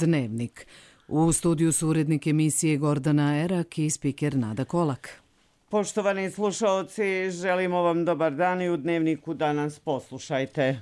Dnevnik. U studiju su urednik emisije Gordana Erak i spiker Nada Kolak. Poštovani slušaoci, želimo vam dobar dan i u Dnevniku danas poslušajte.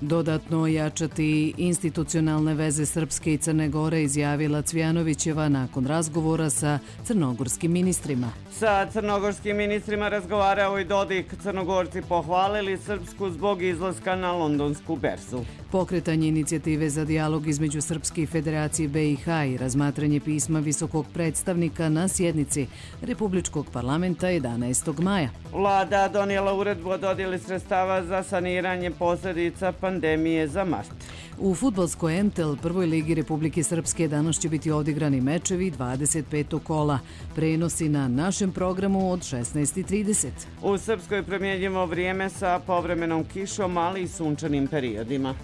Dodatno ojačati institucionalne veze Srpske i Crne Gore, izjavila Cvjanovićeva nakon razgovora sa crnogorskim ministrima. Sa crnogorskim ministrima razgovarao i Dodik. Crnogorci pohvalili Srpsku zbog izlaska na londonsku berzu. Pokretanje inicijative za dijalog između Srpske i Federacije BiH i razmatranje pisma visokog predstavnika na sjednici Republičkog parlamenta 11. maja. Vlada donijela uredbu o dodjeli sredstava za saniranje posljedica pandemije za mart. U fudbalskoj MTL prvoj ligi Republike Srpske danas će biti odigrani mečevi 25. kola. Prenosi na našem programu od 16:30. U Srpskoj promjenjivo vrijeme sa povremenom kišom, ali i sunčanim periodima.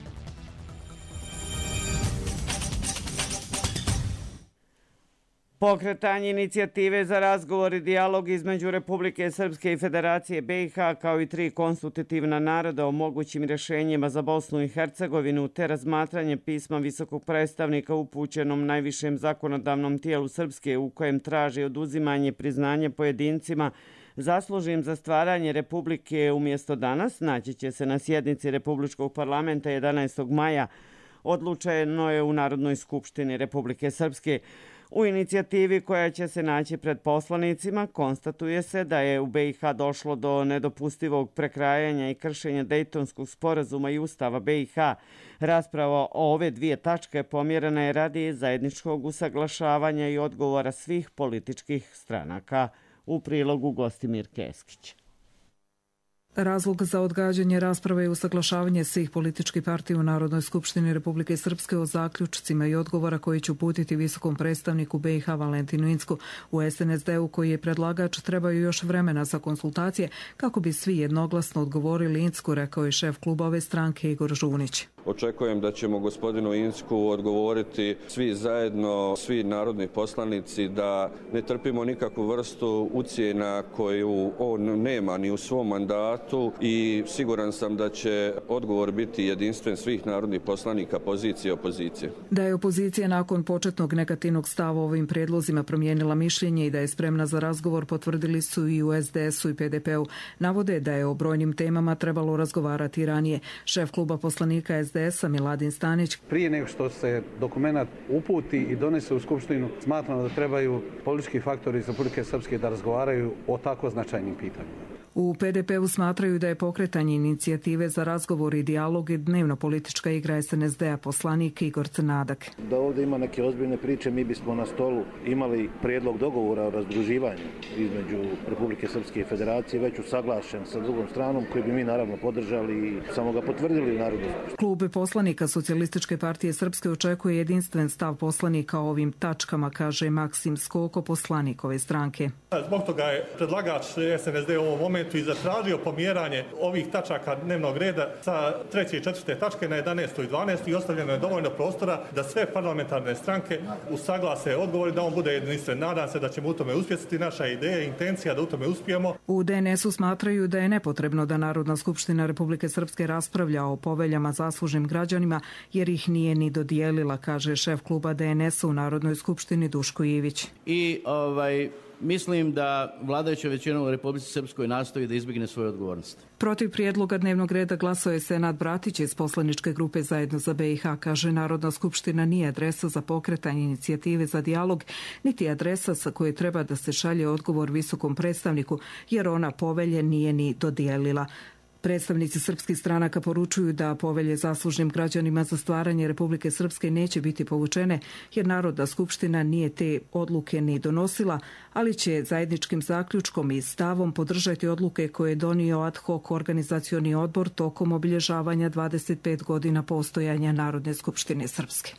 Pokretanje inicijative za razgovor i dijalog između Republike Srpske i Federacije BiH kao i 3 konstitutivna naroda o mogućim rješenjima za Bosnu i Hercegovinu te razmatranje pisma visokog predstavnika upućenom najvišem zakonodavnom tijelu Srpske u kojem traži oduzimanje priznanja pojedincima zaslužnim za stvaranje Republike umjesto danas, naći će se na sjednici Republičkog parlamenta 11. maja, odlučeno je u Narodnoj skupštini Republike Srpske. U inicijativi koja će se naći pred poslanicima konstatuje se da je u BiH došlo do nedopustivog prekrajanja i kršenja Dejtonskog sporazuma i Ustava BiH. Rasprava o ove dvije tačke pomjerena je radi zajedničkog usaglašavanja i odgovora svih političkih stranaka. U prilogu Gostimir Keskić. Razlog za odgađanje rasprave je usaglašavanje svih političkih partija u Narodnoj skupštini Republike Srpske o zaključcima i odgovora koji će uputiti visokom predstavniku BiH Valentinu Incku. U SNSD-u koji je predlagač trebaju još vremena za konsultacije kako bi svi jednoglasno odgovorili Incku, rekao je šef kluba ove stranke Igor Žunić. Očekujem da ćemo gospodinu Incku odgovoriti svi zajedno, svi narodni poslanici, da ne trpimo nikakvu vrstu ucjena koju on nema ni u svom mandatu i siguran sam da će odgovor biti jedinstven svih narodnih poslanika pozicije i opozicije. Da je opozicija nakon početnog negativnog stava ovim prijedlozima promijenila mišljenje i da je spremna za razgovor potvrdili su i u SDS-u i PDP-u. Navode da je o brojnim temama trebalo razgovarati ranije. Šef kluba poslanika SDS-a Miladin Stanić. Prije nego što se dokumenat uputi i donese u Skupštinu, smatramo da trebaju politički faktori iz Republike Srpske da razgovaraju o tako značajnim pitanjima. U PDP-u smatraju da je pokretanje inicijative za razgovor i dijalog i dnevno politička igra SNSD-a, poslanik Igor Crnadak. Da ovdje ima neke ozbiljne priče, mi bismo na stolu imali prijedlog dogovora o razdruživanju između Republike Srpske i Federacije, već usaglašen sa drugom stranom, koji bi mi naravno podržali i samo ga potvrdili u Narodnoj skupštini. Klub poslanika Socijalističke partije Srpske očekuje jedinstven stav poslanika o ovim tačkama, kaže Maksim Skoko, poslanik ove stranke. Zbog toga je predlagač SNSD u ovom momentu i zatražio pomjeranje ovih tačaka dnevnog reda sa 3. i 4. tačke na 11. i 12. i ostavljeno je dovoljno prostora da sve parlamentarne stranke usaglase odgovor, da on bude jedinstven. Nadam se da ćemo u tome uspjeti. Naša ideja i intencija da u tome uspijemo. U DNS-u smatraju da je nepotrebno da Narodna skupština Republike Srpske raspravlja o poveljama zaslužnim građanima jer ih nije ni dodijelila, kaže šef kluba DNS-a u Narodnoj skupštini Duško Ivić. Mislim da vladajuća većina u Republici Srpskoj nastoji da izbjegne svoju odgovornost. Protiv prijedloga dnevnog reda glasao je Senad Bratić iz poslaničke grupe Zajedno za BiH. Kaže, Narodna skupština nije adresa za pokretanje inicijative za dijalog, niti adresa sa koje treba da se šalje odgovor visokom predstavniku, jer ona povelje nije ni dodijelila. Predstavnici srpskih stranaka poručuju da povelje zaslužnim građanima za stvaranje Republike Srpske neće biti povučene, jer Narodna skupština nije te odluke ni donosila, ali će zajedničkim zaključkom i stavom podržati odluke koje je donio ad hoc organizacioni odbor tokom obilježavanja 25 godina postojanja Narodne skupštine Srpske.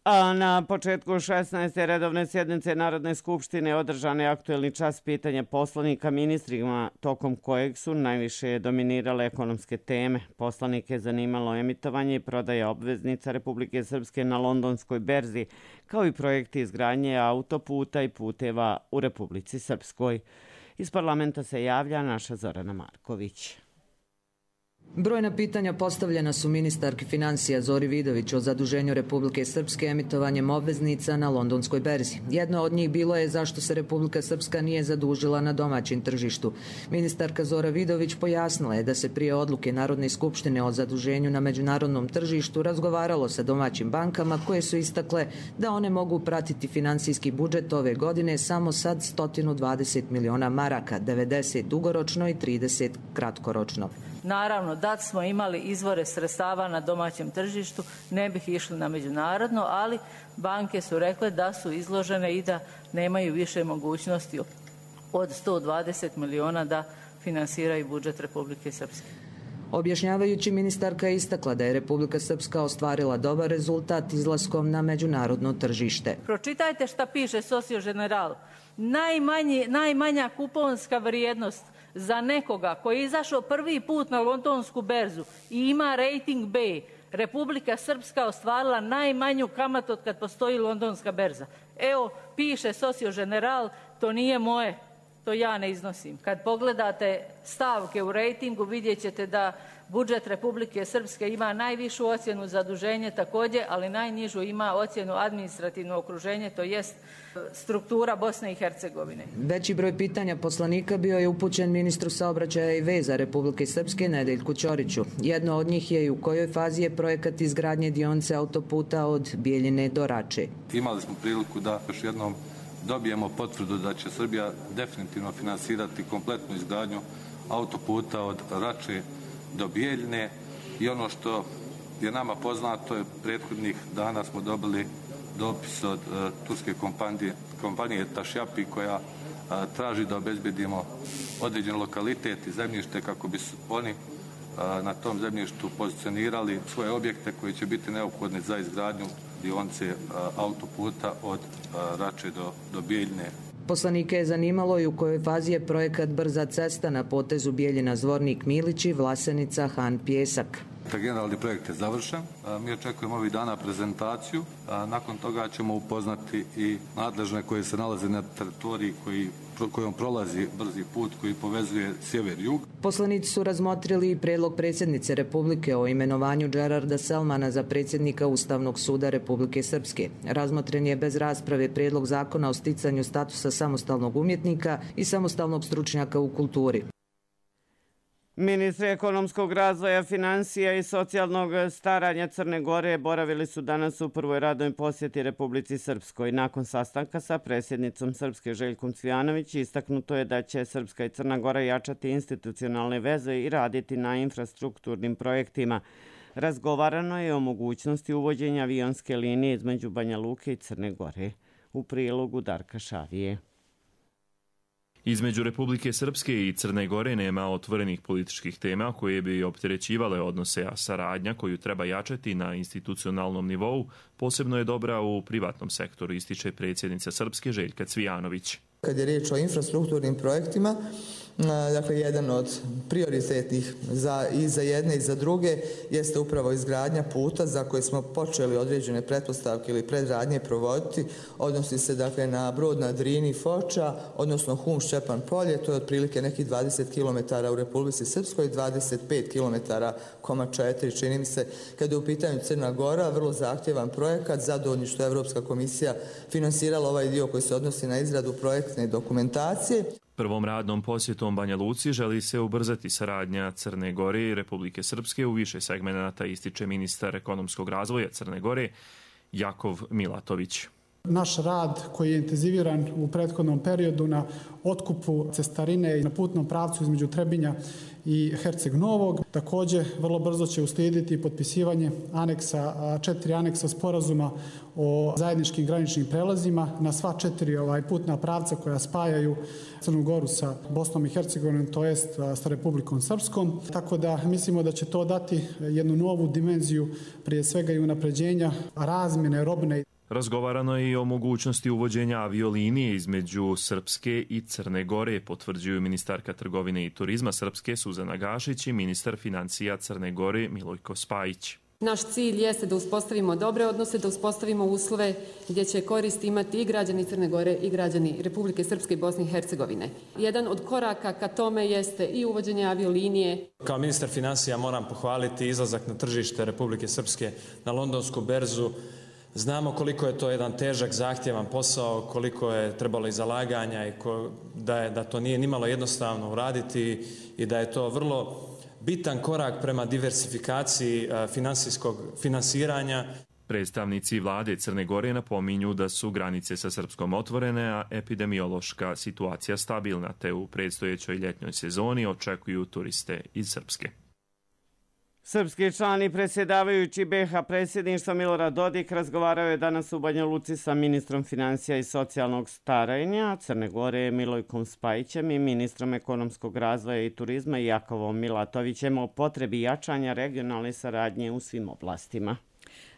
A na početku 16. redovne sjednice Narodne skupštine održan je aktuelni čas pitanja poslanika ministrima, tokom kojeg su najviše dominirale ekonomske teme. Poslanike je zanimalo emitovanje i prodaja obveznica Republike Srpske na londonskoj berzi, kao i projekti izgradnje autoputa i puteva u Republici Srpskoj. Iz parlamenta se javlja naša Zorana Marković. Brojna pitanja postavljena su ministarki financija Zori Vidović o zaduženju Republike Srpske emitovanjem obveznica na londonskoj berzi. Jedno od njih bilo je zašto se Republika Srpska nije zadužila na domaćem tržištu. Ministarka Zora Vidović pojasnila je da se prije odluke Narodne skupštine o zaduženju na međunarodnom tržištu razgovaralo sa domaćim bankama koje su istakle da one mogu pratiti finansijski budžet ove godine samo sad 120 miliona maraka, 90 dugoročno i 30 kratkoročno. Naravno, da smo imali izvore sredstava na domaćem tržištu, ne bih išli na međunarodno, ali banke su rekle da su izložene i da nemaju više mogućnosti od 120 miliona da finansiraju budžet Republike Srpske. Objašnjavajući, ministarka je istakla da je Republika Srpska ostvarila dobar rezultat izlaskom na međunarodno tržište. Pročitajte šta piše Socio General. Najmanja kuponska vrijednost za nekoga koji je izašao prvi put na londonsku berzu i ima rating B, Republika Srpska ostvarila najmanju kamatu od kad postoji londonska berza. Evo, piše Socio General, to nije moje, to ja ne iznosim. Kad pogledate stavke u rejtingu, vidjet ćete da budžet Republike Srpske ima najvišu ocjenu zaduženje također, ali najnižu ima ocjenu administrativno okruženje, to jest struktura Bosne i Hercegovine. Veći broj pitanja poslanika bio je upućen ministru saobraćaja i veza Republike Srpske Nedeljku Ćoriću. Jedno od njih je i u kojoj fazi je projekat izgradnje dionice autoputa od Bijeljine do Rače. Imali smo priliku da još jednom dobijemo potvrdu da će Srbija definitivno finansirati kompletnu izgradnju autoputa od Rače do Bijeljine i ono što je nama poznato je prethodnih dana smo dobili dopis od turske kompanije Tašjapi koja traži da obezbedimo određen lokalitet i zemljište kako bi oni na tom zemljištu pozicionirali svoje objekte koji će biti neophodni za izgradnju dionice autoputa od Rače do Bijeljine. Poslanike je zanimalo i u kojoj fazi je projekat brza cesta na potezu Bijeljina Zvornik Milići, Vlasenica, Han Pjesak. Generalni projekt je završen. Mi očekujemo ovih dana prezentaciju. Nakon toga ćemo upoznati i nadležne koje se nalaze na teritoriji kojom prolazi brzi put koji povezuje sjever i jug. Poslanici su razmotrili i predlog predsjednice Republike o imenovanju Džerarda Selmana za predsjednika Ustavnog suda Republike Srpske. Razmotren je bez rasprave predlog zakona o sticanju statusa samostalnog umjetnika i samostalnog stručnjaka u kulturi. Ministri ekonomskog razvoja, financija i socijalnog staranja Crne Gore boravili su danas u prvoj radnoj posjeti Republici Srpskoj. Nakon sastanka sa predsjednicom Srpske Željkom Cvijanović istaknuto je da će Srpska i Crna Gora jačati institucionalne veze i raditi na infrastrukturnim projektima. Razgovarano je o mogućnosti uvođenja avionske linije između Banja Luke i Crne Gore. U prilogu Darka Šavije. Između Republike Srpske i Crne Gore nema otvorenih političkih tema koje bi opterećivale odnose, a saradnja koju treba jačati na institucionalnom nivou posebno je dobra u privatnom sektoru, ističe predsjednica Srpske Željka Cvijanović. Kad je riječ o infrastrukturnim projektima, dakle jedan od prioritetnih i za jedne i za druge jeste upravo izgradnja puta za koje smo počeli određene pretpostavke ili predradnje provoditi. Odnosi se dakle na Brod na Drini Foča, odnosno Hum Šćepan Polje, to je otprilike nekih 20 km u Republici Srpskoj, 25 km, 4 čini mi se. Kada je u pitanju Crna Gora, vrlo zahtjevan projekat, zadovoljni što je Evropska komisija finansirala ovaj dio koji se odnosi na izradu projektne dokumentacije. Prvom radnom posjetom Banja Luci želi se ubrzati saradnja Crne Gore i Republike Srpske u više segmenata, ističe ministar ekonomskog razvoja Crne Gore Jakov Milatović. Naš rad koji je intenziviran u prethodnom periodu na otkupu cestarine i na putnom pravcu između Trebinja i Herceg Novog. Također vrlo brzo će uslijediti potpisivanje 4 aneksa sporazuma o zajedničkim graničnim prelazima na sva 4 putna pravca koja spajaju Crnu Goru sa Bosnom i Hercegovinom, to jest sa Republikom Srpskom. Tako da mislimo da će to dati jednu novu dimenziju, prije svega i unapređenja razmjene robne. Razgovarano je i o mogućnosti uvođenja aviolinije između Srpske i Crne Gore, potvrđuju ministarka trgovine i turizma Srpske Suzana Gašić i ministar financija Crne Gore Milojko Spajić. Naš cilj jeste da uspostavimo dobre odnose, da uspostavimo uslove gdje će korist imati i građani Crne Gore i građani Republike Srpske i Bosne i Hercegovine. Jedan od koraka ka tome jeste i uvođenje aviolinije. Kao ministar financija moram pohvaliti izlazak na tržište Republike Srpske na londonsku berzu. Znamo koliko je to jedan težak, zahtjevan posao, koliko je trebalo i zalaganja i da to nije nimalo jednostavno uraditi i da je to vrlo bitan korak prema diversifikaciji finansiranja. Predstavnici vlade Crne Gore napominju da su granice sa Srpskom otvorene, a epidemiološka situacija stabilna, te u predstojećoj ljetnjoj sezoni očekuju turiste iz Srpske. Srpski član i predsjedavajući BiH predsjedništva Milorad Dodik razgovarao je danas u Banja Luci sa ministrom financija i socijalnog staranja Crne Gore Milojkom Spajićem i ministrom ekonomskog razvoja i turizma Jakovom Milatovićem o potrebi jačanja regionalne saradnje u svim oblastima.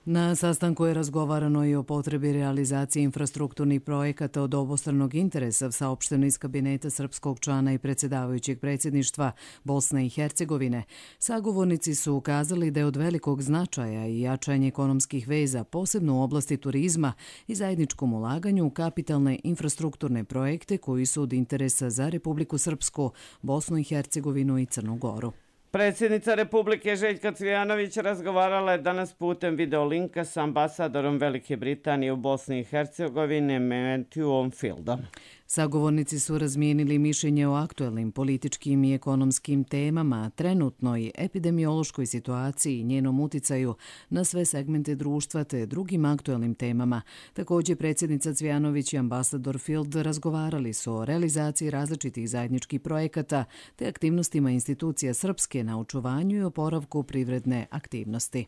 Na sastanku je razgovarano i o potrebi realizacije infrastrukturnih projekata od obostranog interesa, saopšteno iz kabineta srpskog člana i predsjedavajućeg predsjedništva Bosne i Hercegovine. Sagovornici su ukazali da je od velikog značaja i jačanje ekonomskih veza, posebno u oblasti turizma i zajedničkom ulaganju u kapitalne infrastrukturne projekte koji su od interesa za Republiku Srpsku, Bosnu i Hercegovinu i Crnu Goru. Predsjednica Republike Željka Cvijanović razgovarala je danas putem videolinka s ambasadorom Velike Britanije u Bosni i Hercegovini Matthewom Fieldom. Sagovornici su razmijenili mišljenje o aktuelnim političkim i ekonomskim temama, trenutnoj epidemiološkoj situaciji i njenom uticaju na sve segmente društva te drugim aktuelnim temama. Također predsjednica Cvijanović i ambasador Field razgovarali su o realizaciji različitih zajedničkih projekata te aktivnostima institucija Srpske na očuvanju i oporavku privredne aktivnosti.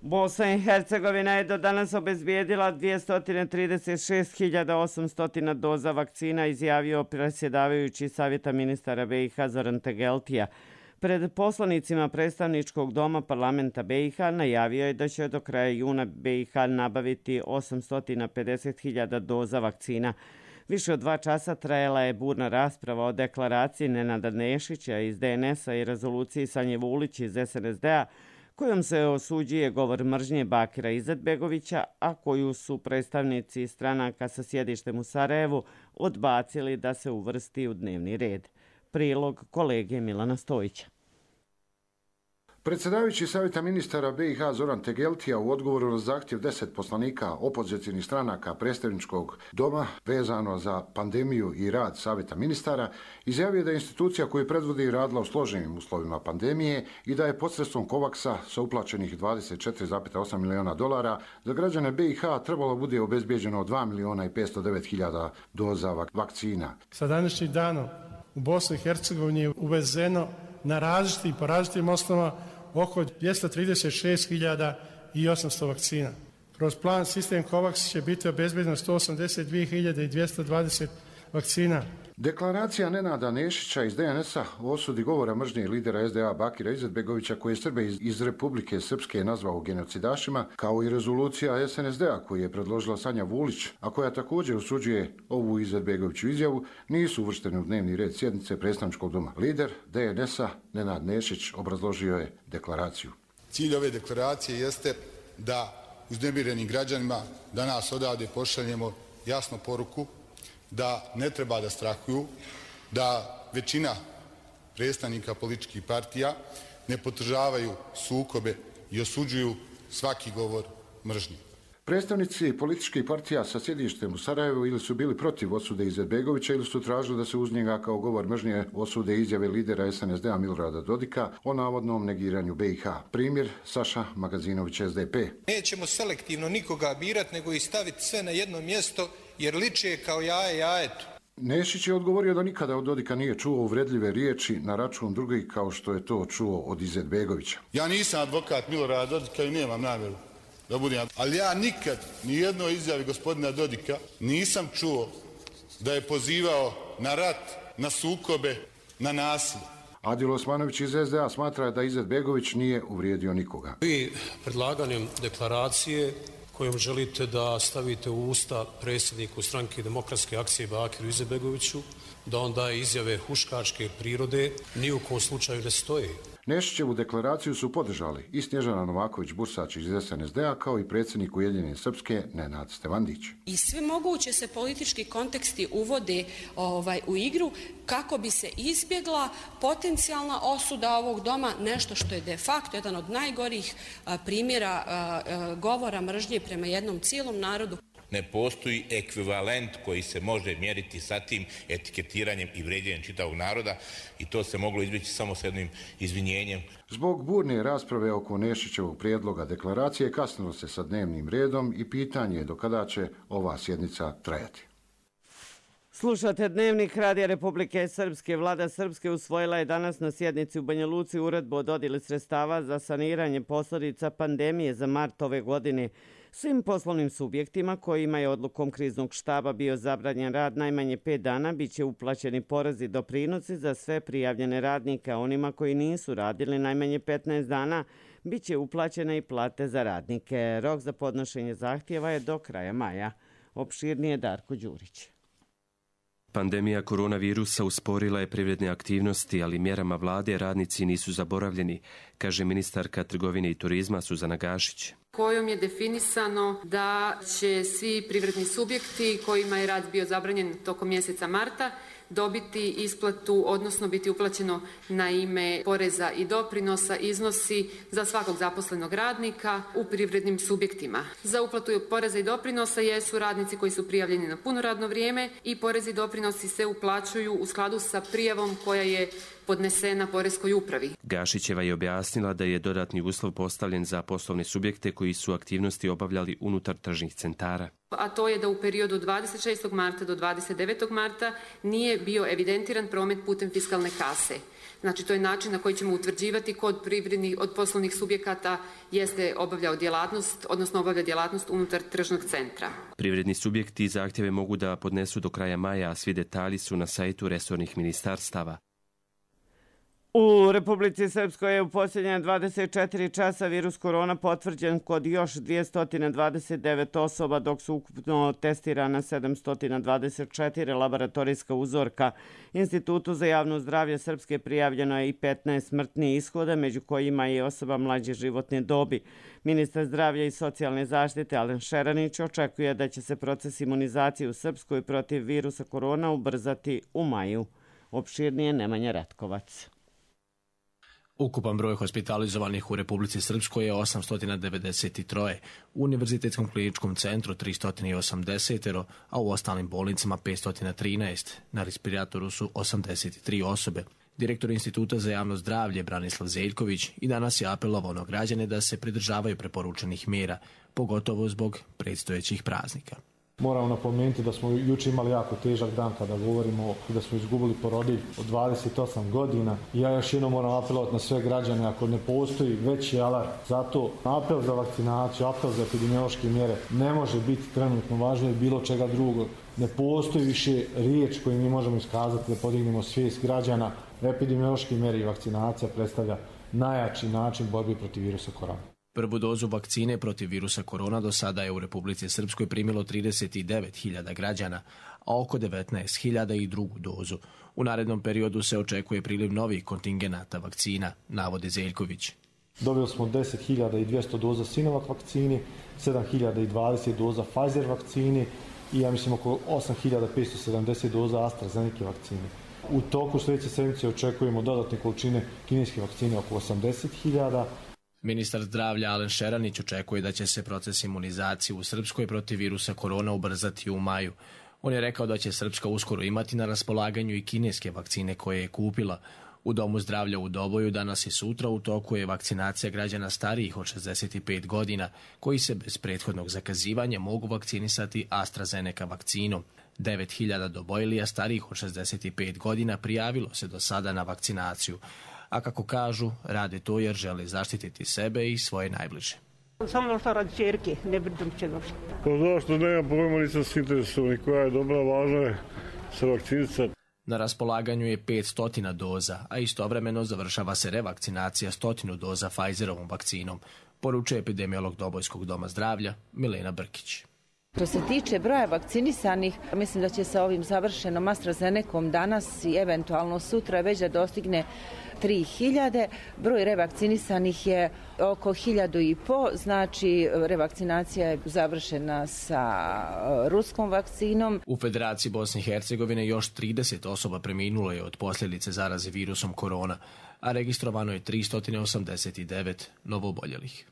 Bosna i Hercegovina je do danas obezbijedila 236.800 doza vakcina, izjavio predsjedavajući Savjeta ministara BiH Zoran Tegeltija. Pred poslanicima predstavničkog doma parlamenta BiH najavio je da će do kraja juna BiH nabaviti 850.000 doza vakcina. Više od 2 časa trajala je burna rasprava o deklaraciji Nenada Nešića iz DNS-a i rezoluciji Sanje Vulić iz SNSD-a, kojom se osuđuje govor mržnje Bakira Izetbegovića, a koju su predstavnici stranaka sa sjedištem u Sarajevu odbacili da se uvrsti u dnevni red. Prilog kolege Milana Stojića. Predsjedavajući Savjeta ministara BiH Zoran Tegeltija u odgovoru na zahtjev 10 poslanika opozicijnih stranaka predstavničkog doma vezano za pandemiju i rad Savjeta ministara izjavio da je institucija koju predvodi radila u složenim uslovima pandemije i da je posredstvom COVAX-a sa uplaćenih $24,8 miliona za građane BiH trebalo bude obezbijeđeno 2.509.000 doza vakcina. Sa današnjim danom u Bosni i Hercegovini je uvezeno na po različitim osnovama oko 236.800 vakcina. Kroz plan sistem COVAX će biti obezbjedeno 182.220 vakcina. Deklaracija Nenada Nešića iz DNS-a o osudi govora mržnje lidera SDA Bakira Izetbegovića koji je Srbe iz Republike Srpske nazvao genocidašima, kao i rezolucija SNSD-a koju je predložila Sanja Vulić, a koja također osuđuje ovu Izetbegoviću izjavu, nisu uvršteni u dnevni red sjednice predstavničkog doma. Lider DNS-a Nenad Nešić obrazložio je deklaraciju. Cilj ove deklaracije jeste da uznemirenim građanima danas odavde pošaljemo jasnu poruku da ne treba da strahuju, da većina predstavnika političkih partija ne podržavaju sukobe i osuđuju svaki govor mržnje. Predstavnici političkih partija sa sjedištem u Sarajevu ili su bili protiv osude Izetbegovića ili su tražili da se uz njega kao govor mržnje osude izjave lidera SNSD-a Milorada Dodika o navodnom negiranju BiH. Primjer Saša Magazinović, SDP. Nećemo selektivno nikoga birati, nego i staviti sve na jedno mjesto, jer liče kao jaje jajetu. Nešić je odgovorio da nikada od Dodika nije čuo uvredljive riječi na račun drugih kao što je to čuo od Izetbegovića. Ja nisam advokat Milorada Dodika i nemam namjeru da budem, ali ja nikad ni jednoj izjavi gospodina Dodika nisam čuo da je pozivao na rat, na sukobe, na nasilje. Adil Osmanović iz SDA smatra da Izetbegović nije uvrijedio nikoga. Vi predlaganjem deklaracije kojom želite da stavite u usta predsjedniku stranke Demokratske akcije Bakiru Izetbegoviću, da on daje izjave huškačke prirode, ni u kom slučaju ne stoji. Nešićevu deklaraciju su podržali i Snježana Novaković-Bursač iz SNSD-a kao i predsjednik Ujedinjene Srpske Nenad Stevandić. I sve moguće se politički konteksti uvode u igru kako bi se izbjegla potencijalna osuda ovog doma, nešto što je de facto jedan od najgorih primjera govora mržnje prema jednom cijelom narodu. Ne postoji ekvivalent koji se može mjeriti sa tim etiketiranjem i vrijeđanjem čitavog naroda i to se moglo izbjeći samo s jednim izvinjenjem. Zbog burne rasprave oko Nešićevog prijedloga deklaracije kasnilo se sa dnevnim redom i pitanje je do kada će ova sjednica trajati. Slušate Dnevnik Radija Republike Srpske. Vlada Srpske usvojila je danas na sjednici u Banja Luci uredbu o dodjeli sredstava za saniranje posljedica pandemije za mart ove godine. Svim poslovnim subjektima kojima je odlukom kriznog štaba bio zabranjen rad najmanje 5 dana bit će uplaćeni porezi i doprinosi za sve prijavljene radnike, a onima koji nisu radili najmanje 15 dana bit će uplaćene i plate za radnike. Rok za podnošenje zahtjeva je do kraja maja. Opširnije Darko Đurić. Pandemija koronavirusa usporila je privredne aktivnosti, ali mjerama vlade radnici nisu zaboravljeni, kaže ministarka trgovine i turizma Suzana Gašić. Kojom je definisano da će svi privredni subjekti kojima je rad bio zabranjen tokom mjeseca marta dobiti isplatu, odnosno biti uplaćeno na ime poreza i doprinosa iznosi za svakog zaposlenog radnika u privrednim subjektima. Za uplatu poreza i doprinosa jesu radnici koji su prijavljeni na puno radno vrijeme i porezi i doprinosi se uplaćuju u skladu sa prijavom koja je podnesena poreskoj upravi. Gašićeva je objasnila da je dodatni uslov postavljen za poslovne subjekte koji su aktivnosti obavljali unutar tržnih centara. A to je da u periodu 26. marta do 29. marta nije bio evidentiran promet putem fiskalne kase. Znači, to je način na koji ćemo utvrđivati kod privrednih od poslovnih subjekata jeste obavljao djelatnost, odnosno obavlja djelatnost unutar tržnog centra. Privredni subjekti zahtjeve mogu da podnesu do kraja maja, a svi detalji su na sajtu resornih ministarstava. U Republici Srpskoj je u posljednje 24 časa virus korona potvrđen kod još 229 osoba, dok su ukupno testirana 724 laboratorijska uzorka. Institutu za javno zdravlje Srpske prijavljeno je i 15 smrtnih ishoda, među kojima je osoba mlađe životne dobi. Ministar zdravlja i socijalne zaštite Alen Šeranić očekuje da će se proces imunizacije u Srpskoj protiv virusa korona ubrzati u maju. Opširnije Nemanja Ratkovac. Ukupan broj hospitalizovanih u Republici Srpskoj je 893, u Univerzitetskom kliničkom centru 380, a u ostalim bolnicama 513. Na respiratoru su 83 osobe. Direktor Instituta za javno zdravlje Branislav Zeljković i danas je apelovao na građane da se pridržavaju preporučenih mjera, pogotovo zbog predstojećih praznika. Moramo napomenuti da smo jučer imali jako težak dan kada govorimo da smo izgubili porodilju od 28 godina. Ja još jednom moram apelovati na sve građane ako ne postoji veći alarm. Zato apel za vakcinaciju, apel za epidemiološke mjere ne može biti trenutno važno od bilo čega drugog. Ne postoji više riječ koju mi možemo iskazati da podignemo svijest građana. Epidemiološke mjere i vakcinacija predstavlja najjači način borbe protiv virusa korona. Prvu dozu vakcine protiv virusa korona do sada je u Republici Srpskoj primilo 39.000 građana, a oko 19.000 i drugu dozu. U narednom periodu se očekuje priliv novih kontingenata vakcina, navodi Zeljković. Dobili smo 10.200 doza Sinovac vakcini, 7.020 doza Pfizer vakcini i ja mislim oko 8.570 doza AstraZeneca vakcine. U toku sljedeće sedmice očekujemo dodatne količine kineske vakcine oko 80.000. Ministar zdravlja Alen Šeranić očekuje da će se proces imunizacije u Srpskoj protiv virusa korona ubrzati u maju. On je rekao da će Srpska uskoro imati na raspolaganju i kineske vakcine koje je kupila. U Domu zdravlja u Doboju danas i sutra u toku je vakcinacija građana starijih od 65 godina, koji se bez prethodnog zakazivanja mogu vakcinisati AstraZeneca vakcinom. 9.000 dobojlija starijih od 65 godina prijavilo se do sada na vakcinaciju. A kako kažu, rade to jer žele zaštititi sebe i svoje najbliže. Samo došla radi čerke, ne brdom će došli. Pa zašto nema pojma, nisam se interesovani koja je dobra, važna je se vakcinica. Na raspolaganju je 500 doza, a istovremeno završava se revakcinacija 100 doza Pfizerovom vakcinom, poručuje epidemiolog Dobojskog doma zdravlja Milena Brkić. Što se tiče broja vakcinisanih, mislim da će sa ovim završenom AstraZenecom danas i eventualno sutra već da dostigne 3000. Broj revakcinisanih je oko 1500, znači revakcinacija je završena sa ruskom vakcinom. U Federaciji Bosne i Hercegovine još 30 osoba preminulo je od posljedice zaraze virusom korona, a registrovano je 389 novooboljelih.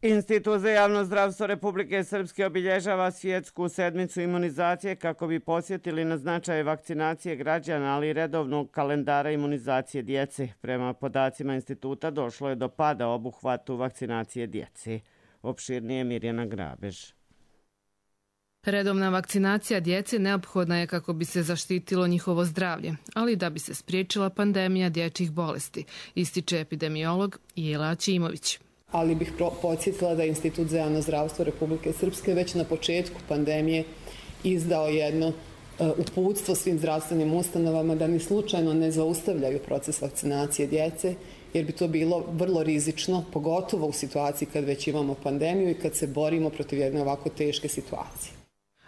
Institut za javno zdravstvo Republike Srpske obilježava svjetsku sedmicu imunizacije kako bi podsjetili na značaj vakcinacije građana, ali i redovnog kalendara imunizacije djece. Prema podacima instituta došlo je do pada obuhvatu vakcinacije djece. Opširnije Mirjana Grabež. Redovna vakcinacija djece neophodna je kako bi se zaštitilo njihovo zdravlje, ali da bi se spriječila pandemija dječjih bolesti, ističe epidemiolog Jela Aćimović. Ali bih podsjetila da je Institut za javno zdravstvo Republike Srpske već na početku pandemije izdao jedno uputstvo svim zdravstvenim ustanovama da ni slučajno ne zaustavljaju proces vakcinacije djece, jer bi to bilo vrlo rizično, pogotovo u situaciji kad već imamo pandemiju i kad se borimo protiv jedne ovako teške situacije.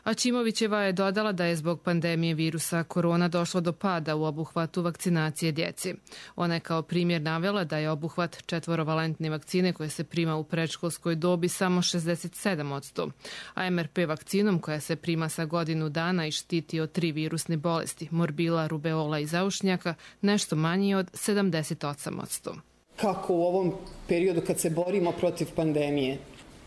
Aćimovićeva je dodala da je zbog pandemije virusa korona došlo do pada u obuhvatu vakcinacije djece. Ona je kao primjer navela da je obuhvat 4-valentne vakcine koje se prima u predškolskoj dobi samo 67%, a MRP vakcinom koja se prima sa godinu dana i štiti od 3 virusne bolesti, morbila, rubeola i zaušnjaka, nešto manji od 78%. Kako u ovom periodu kad se borimo protiv pandemije,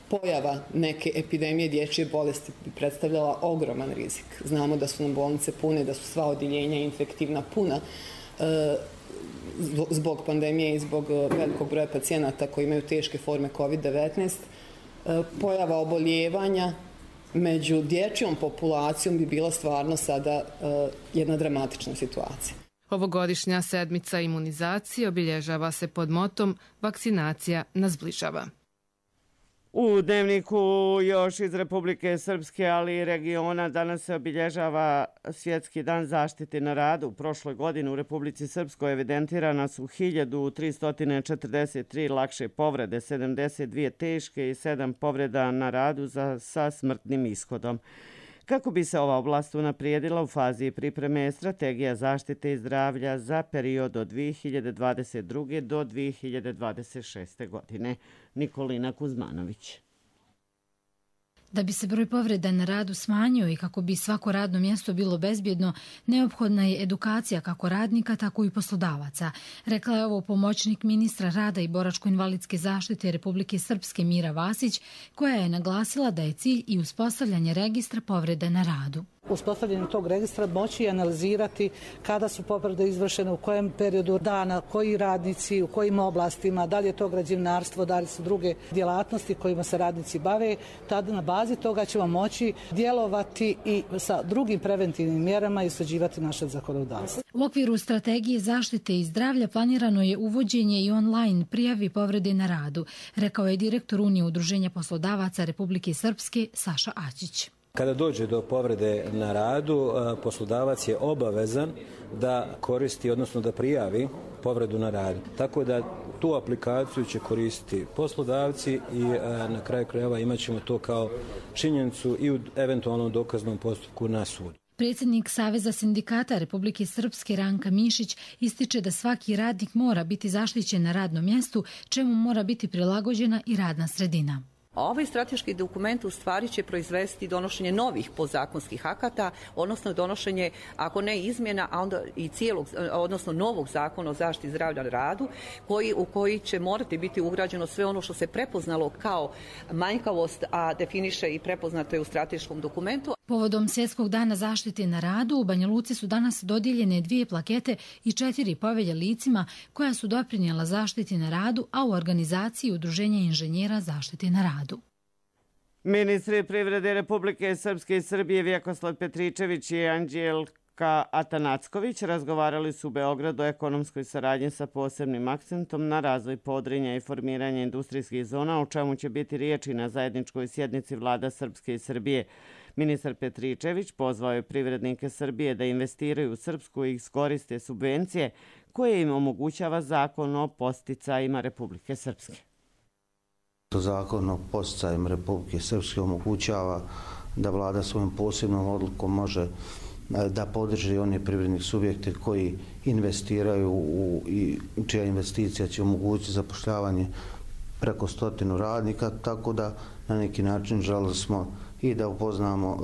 pojava neke epidemije dječje bolesti bi predstavljala ogroman rizik. Znamo da su nam bolnice pune, da su sva odjeljenja infektivna puna zbog pandemije i zbog velikog broja pacijenata koji imaju teške forme COVID-19. Pojava oboljevanja među dječjom populacijom bi bila stvarno sada jedna dramatična situacija. Ovogodišnja sedmica imunizacije obilježava se pod motom Vakcinacija nas zbližava. U dnevniku još iz Republike Srpske, ali i regiona, danas se obilježava Svjetski dan zaštite na radu. U prošloj godini u Republici Srpskoj evidentirana su 1343 lakše povrede, 72 teške i 7 povreda na radu sa smrtnim ishodom. Kako bi se ova oblast unaprijedila, u fazi pripreme je strategija zaštite i zdravlja za period od 2022. do 2026. godine. Nikolina Kuzmanović. Da bi se broj povreda na radu smanjio i kako bi svako radno mjesto bilo bezbjedno, neophodna je edukacija kako radnika, tako i poslodavaca. Rekla je ovo pomoćnik ministra rada i boračko-invalidske zaštite Republike Srpske Mira Vasić, koja je naglasila da je cilj i uspostavljanje registra povrede na radu. Uspostavljanjem tog registra moći analizirati kada su povrede izvršene, u kojem periodu dana, koji radnici, u kojim oblastima, da li je to građevinarstvo, da li su druge djelatnosti kojima se radnici bave. Tada na bazi toga ćemo moći djelovati i sa drugim preventivnim mjerama i usklađivati naše zakonodavstvo. U okviru strategije zaštite i zdravlja planirano je uvođenje i online prijavi povrede na radu, rekao je direktor Unije udruženja poslodavaca Republike Srpske Saša Aćić. Kada dođe do povrede na radu, poslodavac je obavezan da koristi, odnosno da prijavi povredu na radu. Tako da tu aplikaciju će koristiti poslodavci i na kraju krajeva imat ćemo to kao činjenicu i u eventualnom dokaznom postupku na sudu. Predsjednik Saveza sindikata Republike Srpske Ranka Mišić ističe da svaki radnik mora biti zaštićen na radnom mjestu, čemu mora biti prilagođena i radna sredina. Ovaj strateški dokument u stvari će proizvesti donošenje novih podzakonskih akata, odnosno donošenje, ako ne izmjena, a onda i cijelog, odnosno novog zakona o zaštiti zdravlja na radu, u koji će morati biti ugrađeno sve ono što se prepoznalo kao manjkavost, a definiše i prepoznato je u strateškom dokumentu. Povodom Svjetskog dana zaštite na radu u Banja Luci su danas dodijeljene 2 plakete i 4 povelje licima koja su doprinijela zaštiti na radu, a u organizaciji Udruženja inženjera zaštite na radu. Ministri privrede Republike Srpske i Srbije Vjekoslav Petričević i Anđelka Atanacković razgovarali su u Beogradu o ekonomskoj saradnji sa posebnim akcentom na razvoj Podrinja i formiranje industrijskih zona, o čemu će biti riječi na zajedničkoj sjednici vlada Srpske i Srbije. Ministar Petričević pozvao je privrednike Srbije da investiraju u Srpsku i iskoriste subvencije koje im omogućava zakon o podsticajima Republike Srpske. Zakon o podsticajima Republike Srpske omogućava da vlada svojom posebnom odlukom može da podrži one privredne subjekte koji investiraju i čija investicija će omogućiti zapošljavanje preko 100 radnika, tako da na neki način želeli smo i da upoznamo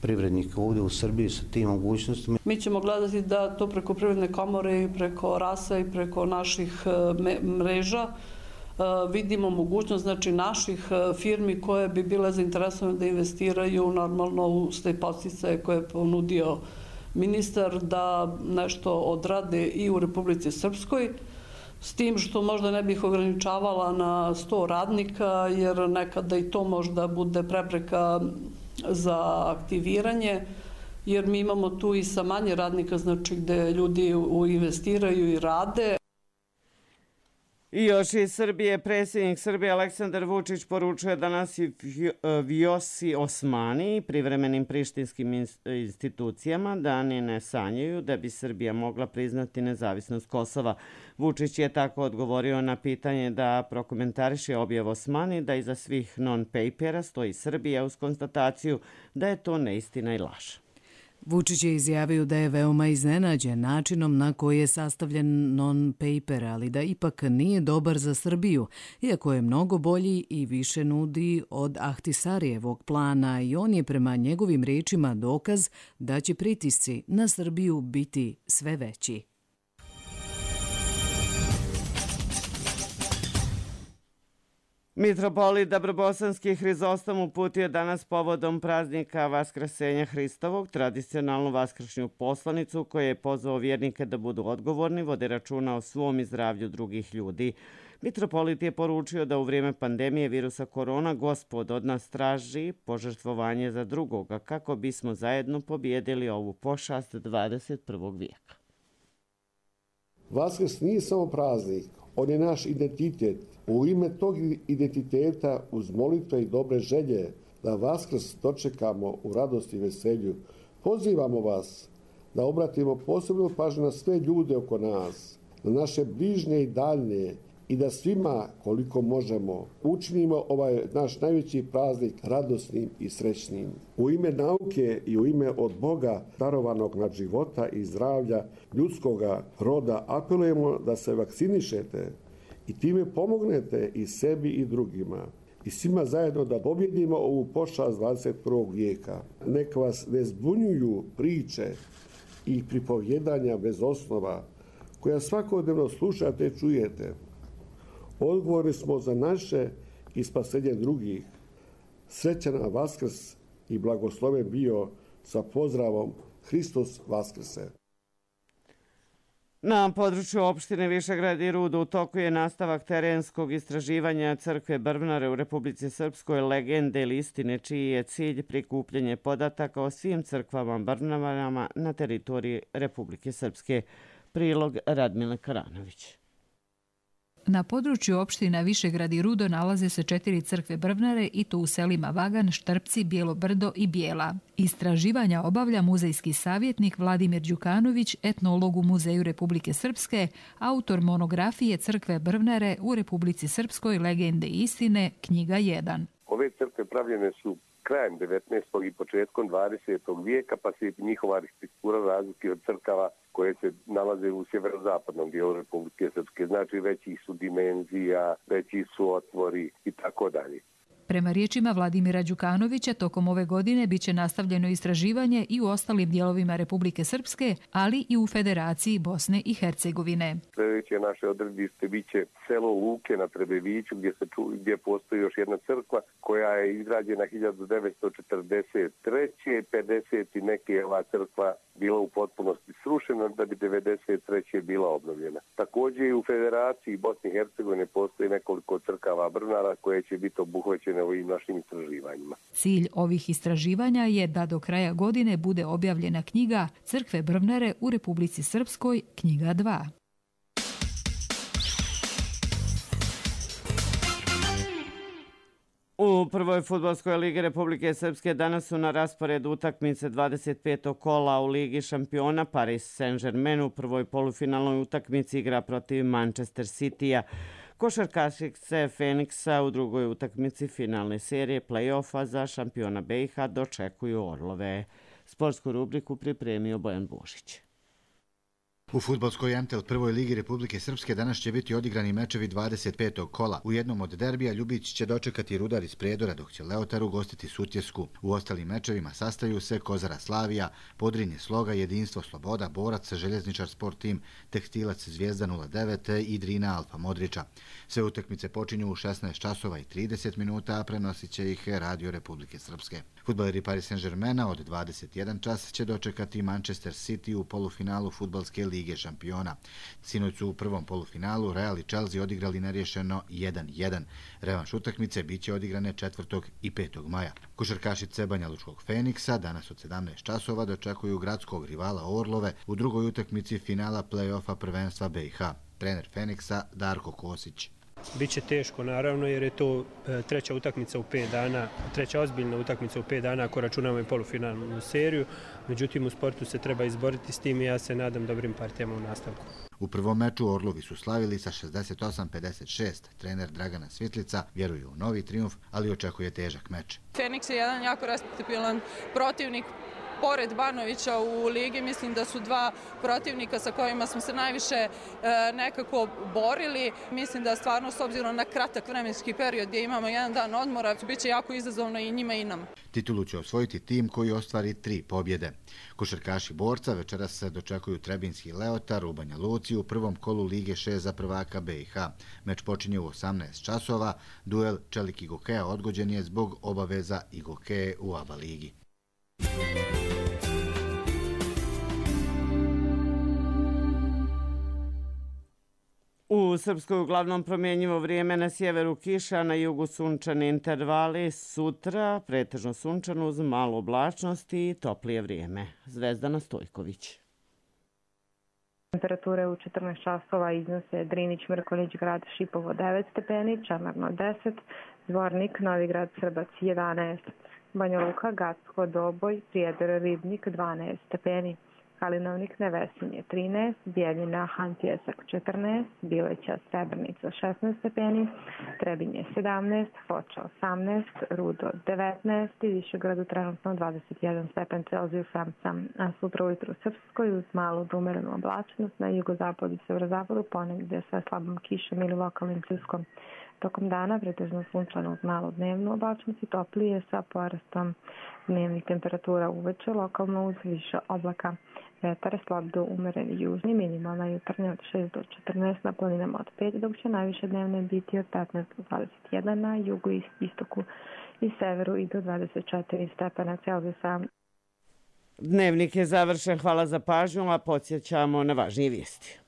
privrednike ovdje u Srbiji sa tim mogućnostima. Mi ćemo gledati da to preko Privredne komore i preko RAS-a i preko naših mreža vidimo mogućnost, znači, naših firmi koje bi bile zainteresovane da investiraju normalno u te podsticaje koje je ponudio ministar, da nešto odrade i u Republici Srpskoj, s tim što možda ne bih ograničavala na 100 radnika, jer nekada i to možda bude prepreka za aktiviranje, jer mi imamo tu i sa manje radnika, znači gde ljudi investiraju i rade. I još iz Srbije, predsjednik Srbije Aleksandar Vučić poručuje danas i Vjosi Osmani i privremenim prištinskim institucijama da ni ne sanjaju da bi Srbija mogla priznati nezavisnost Kosova. Vučić je tako odgovorio na pitanje da prokomentariše objav Osmani da iza svih non-papera stoji Srbija uz konstataciju da je to neistina i laž. Vučić je izjavio da je veoma iznenađen načinom na koji je sastavljen non-paper, ali da ipak nije dobar za Srbiju, iako je mnogo bolji i više nudi od Ahtisarijevog plana i on je prema njegovim rečima dokaz da će pritisci na Srbiju biti sve veći. Mitropolit Dabrobosanski Hrizostom uputio danas povodom praznika Vaskrsenja Hristovog tradicionalnu vaskršnju poslanicu koja je pozvao vjernike da budu odgovorni, vode računa o svom i zdravlju drugih ljudi. Mitropolit je poručio da u vrijeme pandemije virusa korona Gospod od nas traži požrtvovanje za drugoga kako bismo zajedno pobijedili ovu pošast 21. vijeka. Vaskrs nije samo praznik, on je naš identitet. U ime tog identiteta, uz molitve i dobre želje, da Vaskrs dočekamo u radosti i veselju, pozivamo vas da obratimo posebnu pažnju na sve ljude oko nas, na naše bližnje i daljnje, i da svima, koliko možemo, učinimo ovaj naš najveći praznik radosnim i srećnim. U ime nauke i u ime od Boga darovanog nad života i zdravlja ljudskoga roda apelujemo da se vakcinišete i time pomognete i sebi i drugima. I svima zajedno da pobjedimo ovu pošast 21. vijeka. Neka vas ne zbunjuju priče i pripovjedanja bez osnova koja svakodnevno slušate i čujete. Odgovorni smo za naše i spasenje drugih. Srećan nam Vaskrs i blagosloven bio sa pozdravom Hristos Vaskrse. Na području opštine Višegrad i Rudo u toku je nastavak terenskog istraživanja crkve Brvnare u Republici Srpskoj legende ili istine, čiji je cilj prikupljanje podataka o svim crkvama Brvnarama na teritoriji Republike Srpske. Prilog Radmile Karanović. Na području opština Višegrad i Rudo nalaze se 4 crkve Brvnare i to u selima Vagan, Štrpci, Bijelo Brdo i Bijela. Istraživanja obavlja muzejski savjetnik Vladimir Đukanović, etnolog u Muzeju Republike Srpske, autor monografije Crkve Brvnare u Republici Srpskoj legende i istine, knjiga 1. Ove crkve pravljene su krajem 19. i početkom 20. vijeka, pa se njihova arhitektura razlikuje od crkava koje se nalaze u sjeverozapadnom dijelu Republike Srpske. Znači veći su dimenzija, veći su otvori i tako dalje. Prema riječima Vladimira Đukanovića, tokom ove godine biće nastavljeno istraživanje i u ostalim dijelovima Republike Srpske, ali i u Federaciji Bosne i Hercegovine. Sljedeće naše odredište biće selo Luke na Trebeviću, gdje postoji još jedna crkva koja je izgrađena 1943. 50 i neke je ova crkva bila u potpunosti srušena, da bi 1993. bila obnovljena. Također i u Federaciji Bosne i Hercegovine postoji nekoliko crkava Brvnara koje će biti obuhvaćene ovim našim istraživanjima. Cilj ovih istraživanja je da do kraja godine bude objavljena knjiga Crkve Brvnare u Republici Srpskoj, knjiga 2. U prvoj fudbalskoj ligi Republike Srpske danas su na rasporedu utakmice 25. kola u Ligi šampiona. Paris Saint-Germain u prvoj polufinalnoj utakmici igra protiv Manchester City-a. Košarkašice Feniksa u drugoj utakmici finalne serije play-offa za šampiona BiH dočekuju Orlove. Sportsku rubriku pripremio Bojan Božić. U fudbalskoj MTL prvoj ligi Republike Srpske danas će biti odigrani mečevi 25. kola. U jednom od derbija Ljubić će dočekati Rudar iz Prijedora, dok će Leotar ugostiti Sutjesku. U ostalim mečevima sastaju se Kozara Slavija, Podrinje Sloga, Jedinstvo Sloboda, Borac, Željezničar Sport Tim, Tekstilac Zvijezda 09 i Drina Alfa Modrića. Sve utakmice počinju u 16 časova i 30 minuta, a prenosit će ih Radio Republike Srpske. Fudbaleri Paris Saint-Germaina od 21 čas će dočekati Manchester City u polufinalu fudbalske lige šampiona. Sinoć su u prvom polufinalu Real i Chelsea odigrali nerješeno 1-1. Revanš utakmice biće odigrane 4. i 5. maja. Košarkašice Banjalučkog Feniksa danas od 17 časova dočekuju gradskog rivala Orlove u drugoj utakmici finala play-offa prvenstva BiH. Trener Feniksa Darko Kosić. Biće teško naravno jer je to treća utakmica u 5 dana, treća ozbiljna utakmica u 5 dana ako računamo i polufinalnu seriju. Međutim, u sportu se treba izboriti s tim i ja se nadam dobrim partijama u nastavku. U prvom meču Orlovi su slavili sa 68-56. Trener Dragana Svitlica vjeruje u novi trijumf, ali očekuje težak meč. Feniks je jedan jako respektabilan protivnik. Pored Banovića u ligi, mislim da su dva protivnika sa kojima smo se najviše nekako borili. Mislim da stvarno, s obzirom na kratak vremenski period gdje imamo jedan dan odmora, biće jako izazovno i njima i nam. Titulu će osvojiti tim koji ostvari 3 pobjede. Košarkaši Borca večeras se dočekuju Trebinski Leotar u Banja Luci u prvom kolu Lige 6 za prvaka BiH. Meč počinje u 18 časova. Duel Čelik Igokeja odgođen je zbog obaveza Igokeje u ABA ligi. U Srpskoj uglavnom promjenjivo vrijeme, na sjeveru kiša, na jugu sunčani intervali, sutra pretežno sunčano uz malo oblačnosti i toplije vrijeme. Zvezdana Stojković. Temperature u 14 časova iznose Drinić, Mrkonjić, grad Šipovo 9 stepeni, Čamarno 10, Zvornik, Novigrad, Srbac 11, Banja Luka, Gacko, Doboj, Prijedor, Ribnik 12 stepeni. Kalinovnik, Nevesinje 13, Bijeljina, Hantjesak 14, Bileća, Srebrnica 16 stepeni, Trebinje 17, Foča 18, Rudo 19 i Višegradu trenutno 21 stepen Celzijusa. A sutra ujutru u Srpskoj uz malu umerenu oblačnost, na jugozapadu i severozapadu ponegdje sa slabom kišom ili lokalnim pljuskom. Tokom dana pretežno sunčano uz malu dnevnu oblačnost i toplije sa porastom dnevnih temperatura uveče, lokalno uz više oblaka. Vetar slab do umeren južni, minimalna jutarnja od 6 do 14, na planinama od 5, dok će najviše dnevne biti od 15 do 21, na jugu i istoku i severu i do 24 stepena Celzijusa. Dnevnik je završen, hvala za pažnju, a podsjećamo na važnije vijesti.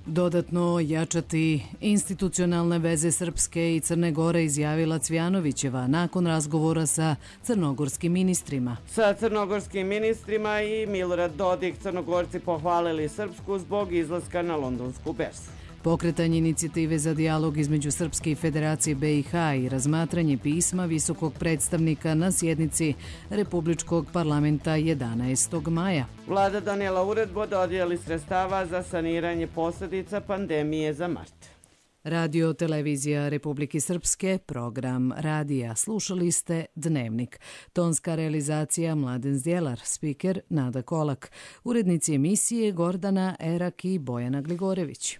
Dodatno jačati institucionalne veze Srpske i Crne Gore, izjavila Cvjanovićeva nakon razgovora sa crnogorskim ministrima. Sa crnogorskim ministrima i Milorad Dodik Crnogorci pohvalili Srpsku zbog izlaska na londonsku berzu. Pokretanje inicijative za dijalog između Srpske i Federacije BiH i razmatranje pisma visokog predstavnika na sjednici Republičkog parlamenta 11. maja. Vlada donijela uredbu o dodjeli sredstava za saniranje posljedica pandemije za mart. Radio Televizija Republike Srpske, program radija. Slušali ste Dnevnik. Tonska realizacija Mladen Zdjelar, spiker Nada Kolak. Urednici emisije Gordana Erak i Bojana Gligorević.